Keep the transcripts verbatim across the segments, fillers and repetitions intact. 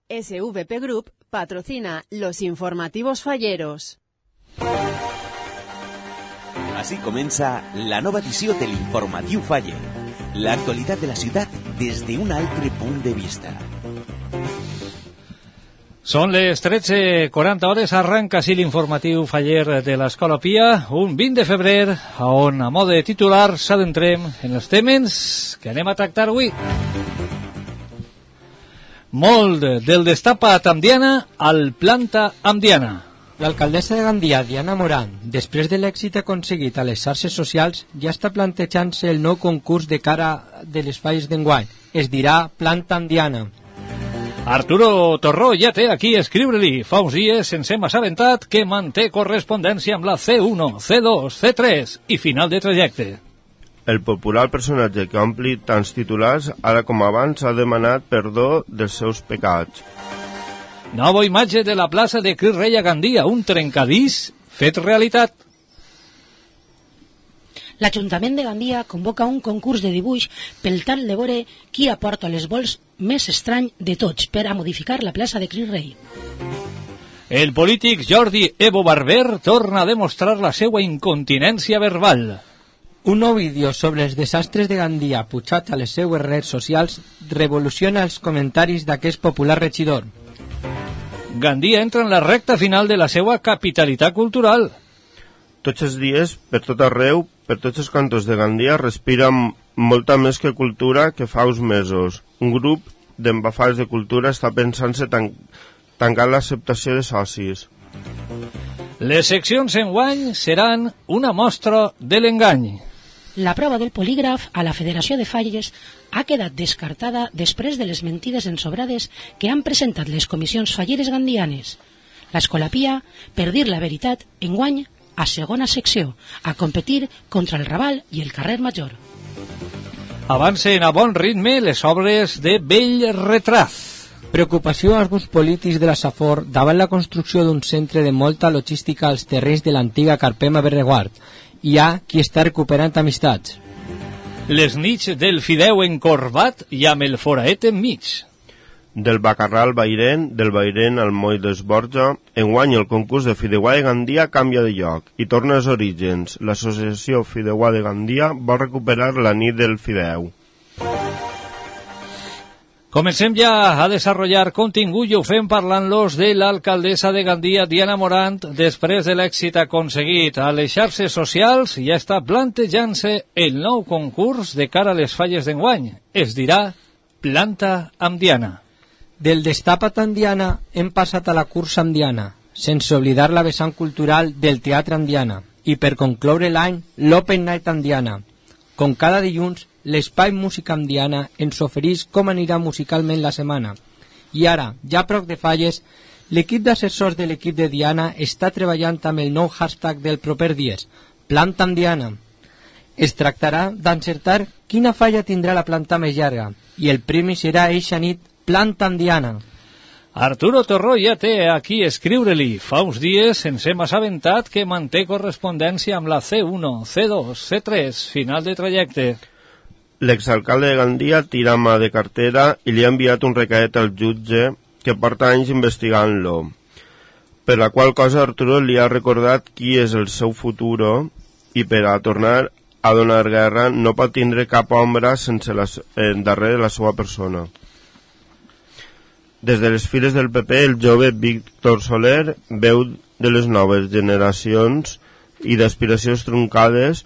S V P Group patrocina los informativos falleros. Així comença la nova edició de l'Informatiu Faller. L'actualitat de la ciutat des d'un altre punt de vista. Són les tretze quaranta hores, arranca així l'informatiu faller de l'Escola Pia, un vint de febrer, on a mode titular s'adentrem en els temes que anem a tractar avui. Molt del destapat amb Diana al planta amb Diana. L'alcaldessa de Gandia, Diana Morant, després de l'èxit aconseguit a les xarxes socials, ja està plantejant-se el nou concurs de cara de les falles d'enguany. Es dirà Planta amb Diana. Arturo Torró ja té aquí a escriure-li. Fa uns dies ens hem assabentat que manté correspondència amb la C u, C dos, C tres i final de trajecte. El popular personatge que ompli tants titulars, ara com abans, ha demanat perdó dels seus pecats. Nova imatge de la plaça de Cris Rei a Gandia, un trencadís fet realitat. L'Ajuntament de Gandia convoca un concurs de dibuix pel tal de veure qui aporta les vols més estrany de tots per a modificar la plaça de Cris Rei. El polític Jordi Evo Barber torna a demostrar la seva incontinència verbal. Un nou vídeo sobre els desastres de Gandia pujat a les seues redes socials revoluciona els comentaris d'aquest popular regidor. Gandia entra en la recta final de la seva capitalitat cultural. Tots els dies, per tot arreu, per tots els cantons de Gandia, respira molta més que cultura que fa uns mesos. Un grup d'embafals de cultura està pensant-se tan tancar l'acceptació de socis. Les seccions enguany seran una mostra de l'engany. La prova del polígraf a la Federació de Falles ha quedat descartada després de les mentides ensobrades que han presentat les comissions falleres gandianes. L'Escola Pia, per dir la veritat, enguany a segona secció, a competir contra el Raval i el Carrer Major. Avancen a bon ritme les obres de Bell Retraz. Preocupació als grups polítics de la Safor davant la construcció d'un centre de molta logística als terrenys de l'antiga Carpema Berreguard. Hi ha qui està recuperant amistats. Les nits del fideu encorbat i amb el foraet enmig. Del Bacarrà al Bairen, del Bairen al Moll d'Esborja, enguany el concurs de Fideuà de Gandia canvia de lloc i torna als orígens. L'associació Fideuà de Gandia vol recuperar la nit del fideu. Comencem ja a desenvolupar contingut i ho fem parlant-los de l'alcaldessa de Gandia, Diana Morant. Després de l'èxit aconseguit a les xarxes socials, ja està plantejant-se el nou concurs de cara a les falles d'enguany. Es dirà Planta amb Diana. Del destapat amb Diana hem passat a la cursa amb Diana, sense oblidar la vessant cultural del teatre amb Diana. I per concloure l'any, l'Open Night amb Diana. Com cada dilluns, l'Espai Música amb Diana ens ofereix com anirà musicalment la setmana. I ara, ja a prop de falles, l'equip d'assessors de l'equip de Diana està treballant amb el nou hashtag del proper dies, Planta amb Diana. Es tractarà d'encertar quina falla tindrà la planta més llarga, i el premi serà eixa nit Planta amb Diana. Arturo Torró ja té aquí a escriure-li. Fa uns dies ens hem assabentat que manté correspondència amb la C u, C dos, C tres, final de trajecte. L'exalcalde de Gandia tira mà de cartera i li ha enviat un recadet al jutge que porta anys investigant-lo, per la qual cosa Arturo li ha recordat qui és el seu futur i per a tornar a donar guerra no pot tindre cap ombra sense la, eh, darrere la seva persona. Des de les files del P P, el jove Víctor Soler, veu de les noves generacions i d'aspiracions truncades.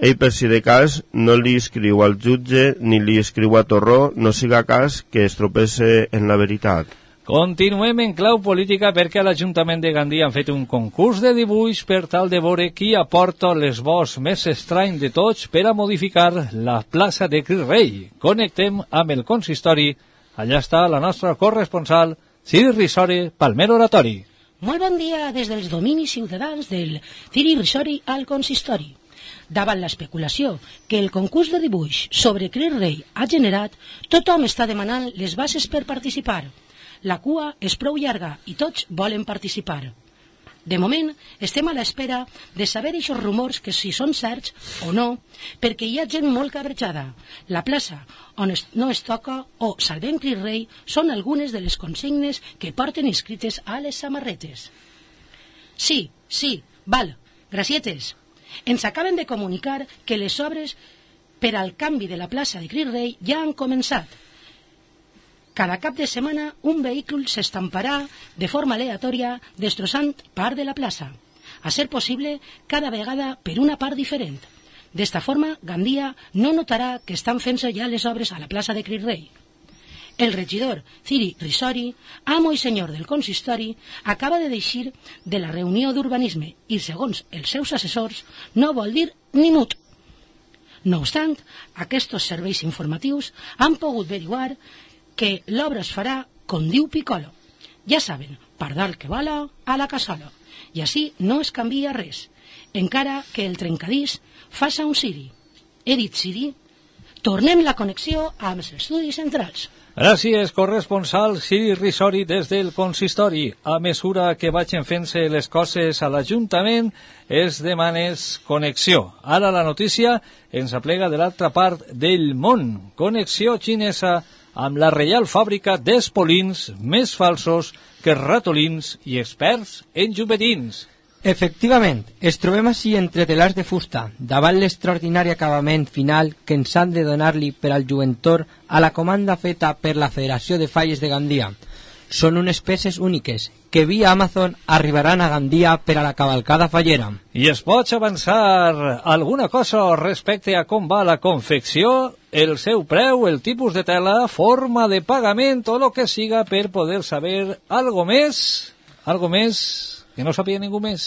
Ell, per si de cas, no li escriu al jutge ni li escriu a Torró, no siga cas que es tropece en la veritat. Continuem en clau política perquè a l'Ajuntament de Gandia han fet un concurs de dibuix per tal de veure qui aporta l'esbós més estrany de tots per a modificar la plaça de Cris Rei. Connectem amb el consistori. Allà està la nostra corresponsal, Ciri Risori, Palmer Oratori. Molt bon dia des dels dominis ciutadans del Ciri Risori al consistori. Davant l'especulació que el concurs de dibuix sobre Cris Rei ha generat, tothom està demanant les bases per participar. La cua és prou llarga i tots volen participar. De moment, estem a l'espera de saber aquests rumors que si són certs o no, perquè hi ha gent molt cabrejada. La plaça on es, no es toca o Salvem Crist Rei són algunes de les consignes que porten inscrites a les samarretes. Sí, sí, val, gracietes. Ens acaben de comunicar que les obres per al canvi de la plaça de Crist Rei ja han començat. Cada cap de setmana un vehicle s'estamparà de forma aleatòria destrossant part de la plaça, a ser possible cada vegada per una part diferent. D'esta forma, Gandia no notarà que estan fent-se ja les obres a la plaça de Crist Rei. El regidor Ciri Risori, amo i senyor del consistori, acaba de deixir de la reunió d'urbanisme i, segons els seus assessors, no vol dir ni mut. No obstant, aquests serveis informatius han pogut averiguar que l'obra es farà com diu Piccolo. Ja saben, pardal que bala a la cassola. I així no es canvia res, encara que el trencadís faça un Siri. He dit Siri? Tornem la connexió amb els estudis centrals. Gràcies, corresponsal Ciri Risori des del consistori. A mesura que vagin fent-se les coses a l'Ajuntament, es demanes connexió. Ara la notícia ens aplega de l'altra part del món. Connexió xinesa amb la Reial Fàbrica d'Espolins més falsos que ratolins i experts en xupetins. Efectivament, es trobem així entre telars de fusta, davant l'extraordinari acabament final que ens han de donar-li per al juventor a la comanda feta per la Federació de Falles de Gandia. Són unes peces úniques, que via Amazon arribaran a Gandia per a la cavalcada fallera. I es pot avançar alguna cosa respecte a com va la confecció, el seu preu, el tipus de tela, forma de pagament o lo que siga per poder saber algo més, algo més que no sabia ningú més?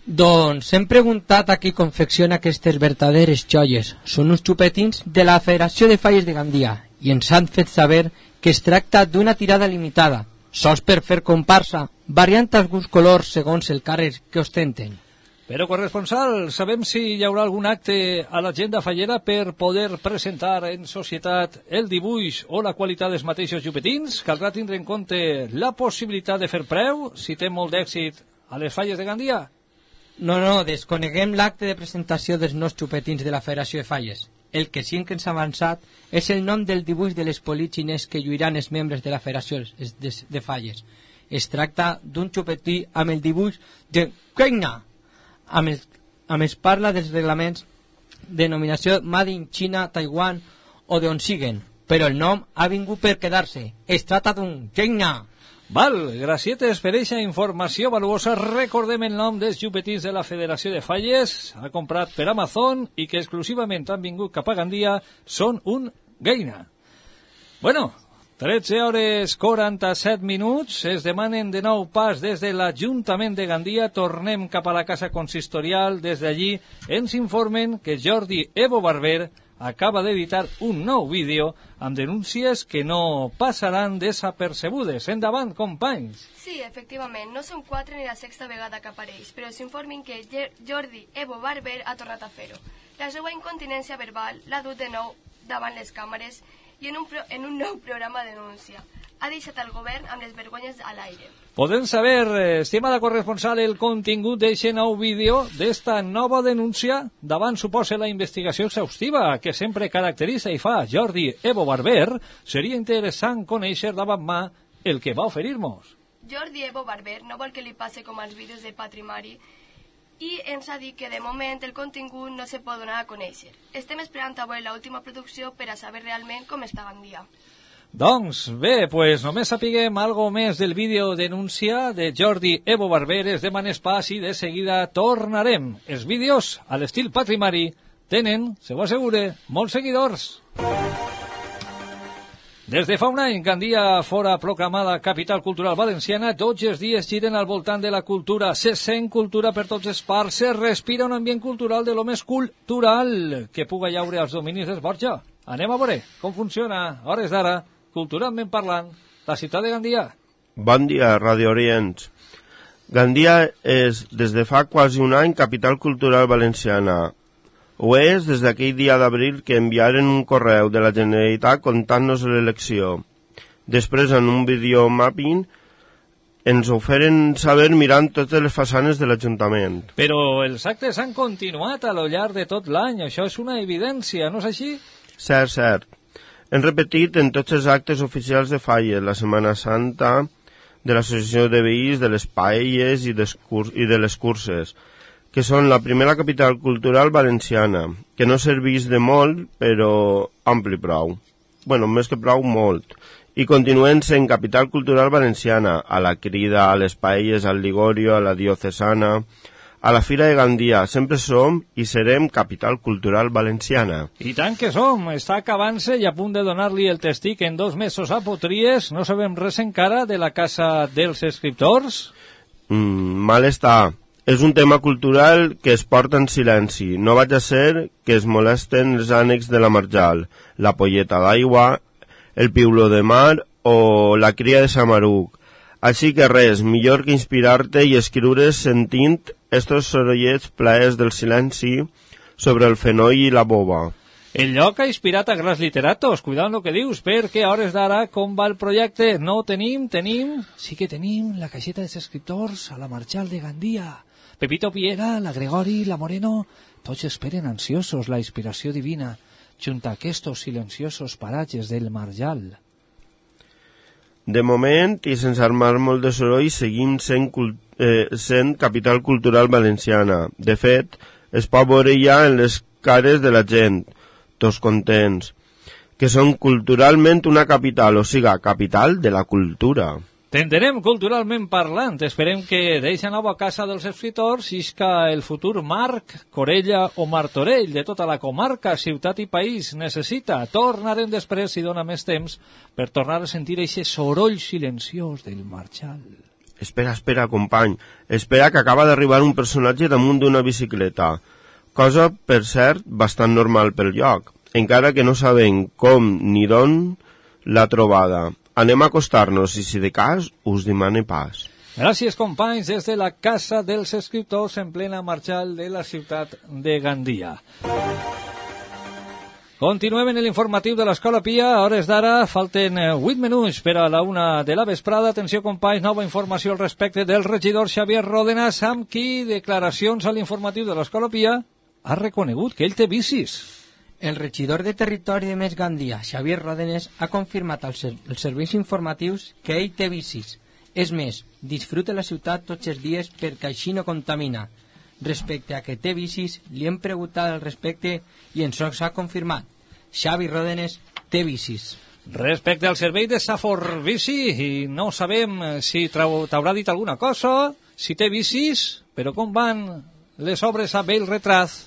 Doncs hem preguntat a qui confecciona aquestes verdaderes joies. Són uns xupetins de la Federació de Falles de Gandia i ens han fet saber que es tracta d'una tirada limitada, sols per fer comparsa, variant alguns colors segons el càrrec que ostenten. Però, corresponsal, sabem si hi haurà algun acte a l'agenda fallera per poder presentar en societat el dibuix o la qualitat dels mateixos xupetins? Caldrà tindre en compte la possibilitat de fer preu, si té molt d'èxit a les Falles de Gandia? No, no, desconeguem l'acte de presentació dels nous xupetins de la Federació de Falles. El que sí que ens ha avançat és el nom del dibuix de l'espolit xinès que lluiran els membres de la Federació de, de Falles. Es tracta d'un xupetí amb el dibuix de Keina, amb el, amb es parla dels reglaments de denominació Made in China, Taiwan o d'on siguen, però el nom ha vingut per quedar-se. Es tracta d'un Keina. Val, gracietes per eixa informació valuosa. Recordem el nom dels xupetins de la Federació de Falles, ha comprat per Amazon i que exclusivament han vingut cap a Gandia, són un Geina. Bueno, tretze hores quaranta-set minuts, es demanen de nou pas des de l'Ajuntament de Gandia, tornem cap a la casa consistorial, des d'allí ens informen que Jordi Evo Barber acaba d'editar un nou vídeo amb denúncies que no passaran desapercebudes. Endavant, companys. Sí, efectivament, no són quatre ni la sexta vegada que apareix, però s'informin que Jordi Evo Barber ha tornat a fer-ho. La seva incontinència verbal l'ha dut de nou davant les càmeres i en un, pro en un nou programa de denúncia. Ha deixat el govern amb les vergonyes a l'aire. Podem saber, estimada corresponsal, el contingut d'aquest nou vídeo, d'esta nova denúncia, davant suposa la investigació exhaustiva que sempre caracteritza i fa Jordi Evo Barber. Seria interessant conèixer davant mà el que va oferir-nos. Jordi Evo Barber no vol que li passe com als vídeos de Patrimari i ens ha dit que de moment el contingut no se pot donar a conèixer. Estem esperant avui l'última producció per a saber realment com està Gandia. Doncs bé, pues només sapiguem algo més del vídeo denúncia de Jordi Evo Barber, es demanes pas i de seguida tornarem. Els vídeos, a l'estil Patrimari, tenen, se ho assegure, molts seguidors. Des de fa un any, Gandia fora proclamada capital cultural valenciana, tots els dies giren al voltant de la cultura, se sent cultura per tots els parts, se respira un ambient cultural de lo més cultural que puga llaure als dominis dels Borja. Anem a veure com funciona, a hores d'ara, culturalment parlant, la ciutat de Gandia. Bon dia, Radio Orients. Gandia és, des de fa quasi un any, capital cultural valenciana. Ho és des d'aquell dia d'abril que enviaren un correu de la Generalitat contant-nos l'elecció. Després, en un videomapping, ens ho feren saber mirant totes les façanes de l'Ajuntament. Però els actes han continuat a lo llarg de tot l'any, això és una evidència, no és així? Cert, cert. Hem repetit en tots els actes oficials de Falles, la Setmana Santa, de l'Associació de Veïns, de les paelles i, i de les curses, que són la primera capital cultural valenciana, que no serveix de molt, però ampli prou. Bueno, més que prou, molt. I continuen sent capital cultural valenciana, a la Crida, a les paelles, al Ligorio, a la Diocesana, a la Fira de Gandia. Sempre som i serem capital cultural valenciana. I tant que som. Està acabant-se i a punt de donar-li el testic en dos mesos a Potries. No sabem res encara de la Casa dels Escriptors? Mm, mal està. És un tema cultural que es porta en silenci. No vaig a ser que es molesten els ànecs de la Marjal, la polleta d'aigua, el piuló de mar o la cria de Samaruc. Així que res, millor que inspirar-te i escriure sentint estos sorollets plaers del silenci sobre el fenoll i la boba. El lloc ha inspirat a grans literatos, cuidant el que dius, perquè a hores d'ara com va el projecte? No tenim, tenim... Sí que tenim la caixeta dels escriptors a la Marjal de Gandia. Pepito Piera, la Gregori, la Moreno, tots esperen ansiosos la inspiració divina, junt a aquests silenciosos paratges del Marjal. De moment, i sense armar molt de soroll, seguim sent, eh, sent capital cultural valenciana. De fet, es pot veure ja en les cares de la gent, tots contents, que són culturalment una capital, o sigui, capital de la cultura. T'entenem culturalment parlant. Esperem que d'eixa nova Casa dels Escriptors isca el futur Marc, Corella o Martorell de tota la comarca, ciutat i país necessita. Tornarem després, si dona més temps, per tornar a sentir eixe soroll silenciós del Marjal. Espera, espera, company. Espera que acaba d'arribar un personatge damunt d'una bicicleta. Cosa, per cert, bastant normal pel lloc, encara que no sabem com ni d'on l'ha trobada. Anem a acostar-nos i, si de cas, us demane pas. Gràcies, companys, des de la Casa dels Escriptors en plena Marjal de la ciutat de Gandia. Continuem en l'informatiu de l'Escola Pia. A hores d'ara falten vuit minuts per a la una de la vesprada. Atenció, companys, nova informació al respecte del regidor Xavier Ródenas, amb qui declaracions a l'informatiu de l'Escola Pia ha reconegut que ell té vicis. El regidor de Territori de Més Gandia, Xavier Ródenas, ha confirmat als, ser als serveis informatius que ell té vicis. És més, disfruta la ciutat tots els dies perquè així no contamina. Respecte a que té vicis, li hem preguntat al respecte i ens ho ha confirmat. Xavi Ródenas té vicis. Respecte al servei de Safor Bici, i no sabem si t'haurà dit alguna cosa, si té vicis, però com van les obres a Bell Retraz?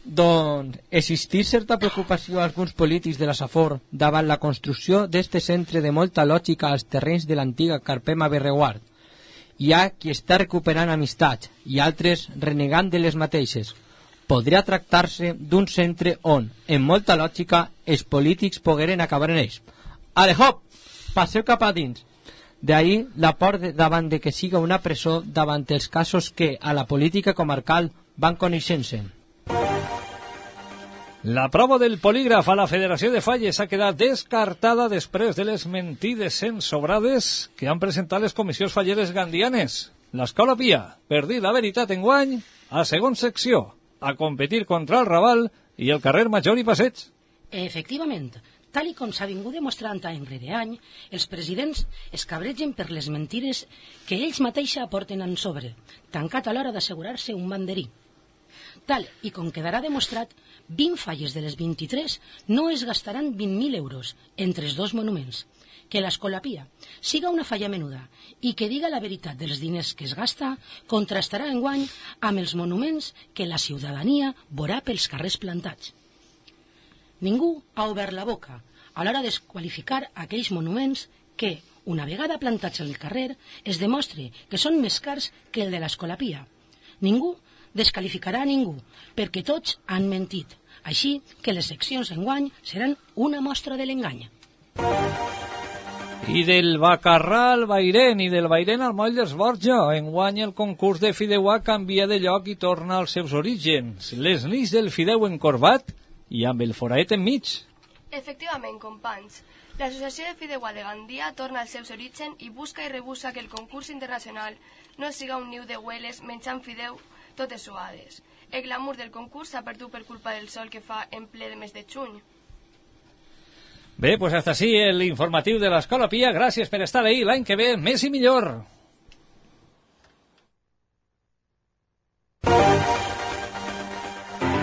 Doncs existir certa preocupació a alguns polítics de la Safor davant la construcció d'este centre de molta lògica als terrenys de l'antiga Carpema Berreguard. Hi ha qui està recuperant amistats i altres renegant de les mateixes. Podria tractar-se d'un centre on, en molta lògica, els polítics pogueren acabar en ells. Ale, hop! Passeu cap a dins. D'ahir la por de, davant de que siga una presó davant els casos que a la política comarcal van coneixent-se. La prova del polígraf a la Federació de Falles ha quedat descartada després de les mentides ensobrades que han presentat les comissions falleres gandianes. L'Escola Pia, per dir la veritat enguany, a segona secció, a competir contra el Raval i el carrer Major i Passeig. Efectivament, tal i com s'ha vingut demostrant any rere any, els presidents es cabregen per les mentides que ells mateixa aporten en sobre, tancat a l'hora d'assegurar-se un banderí. Tal i com quedarà demostrat, vint falles de les vint-i-tres no es gastaran vint mil euros entre els dos monuments. Que l'Escola Pia siga una falla menuda i que diga la veritat dels diners que es gasta contrastarà enguany amb els monuments que la ciutadania veurà pels carrers plantats. Ningú ha obert la boca a l'hora de desqualificar aquells monuments que, una vegada plantats al carrer, es demostre que són més cars que el de l'Escola Pia. Ningú desqualificarà a ningú, perquè tots han mentit. Així que les seccions enguany seran una mostra de l'engany. I del Bacarrà al Bairén i del Bairén al Moll dels Borja, enguany el concurs de fideuà canvia de lloc i torna als seus orígens. Les nits del fideu encorbat i amb el foraet enmig. Efectivament, companys. L'Associació de Fideuà de Gandia torna als seus orígens i busca i rebussa que el concurs internacional no siga un niu de hueles menjant fideu totes suades. El glamour del concurs s'ha perdut per culpa del sol que fa en ple de mes de juny. Bé, pues hasta así el informatiu de l'Escola Pia. Gràcies per estar ahí. L'any que ve, més i millor.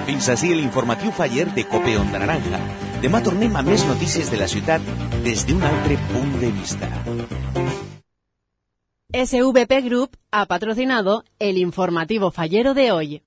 Fins ací l'informatiu faller de Cope Onda Naranja. Demà tornem a més notícies de la ciutat des d'un altre punt de vista. S V P Group ha patrocinado el informativo fallero de hoy.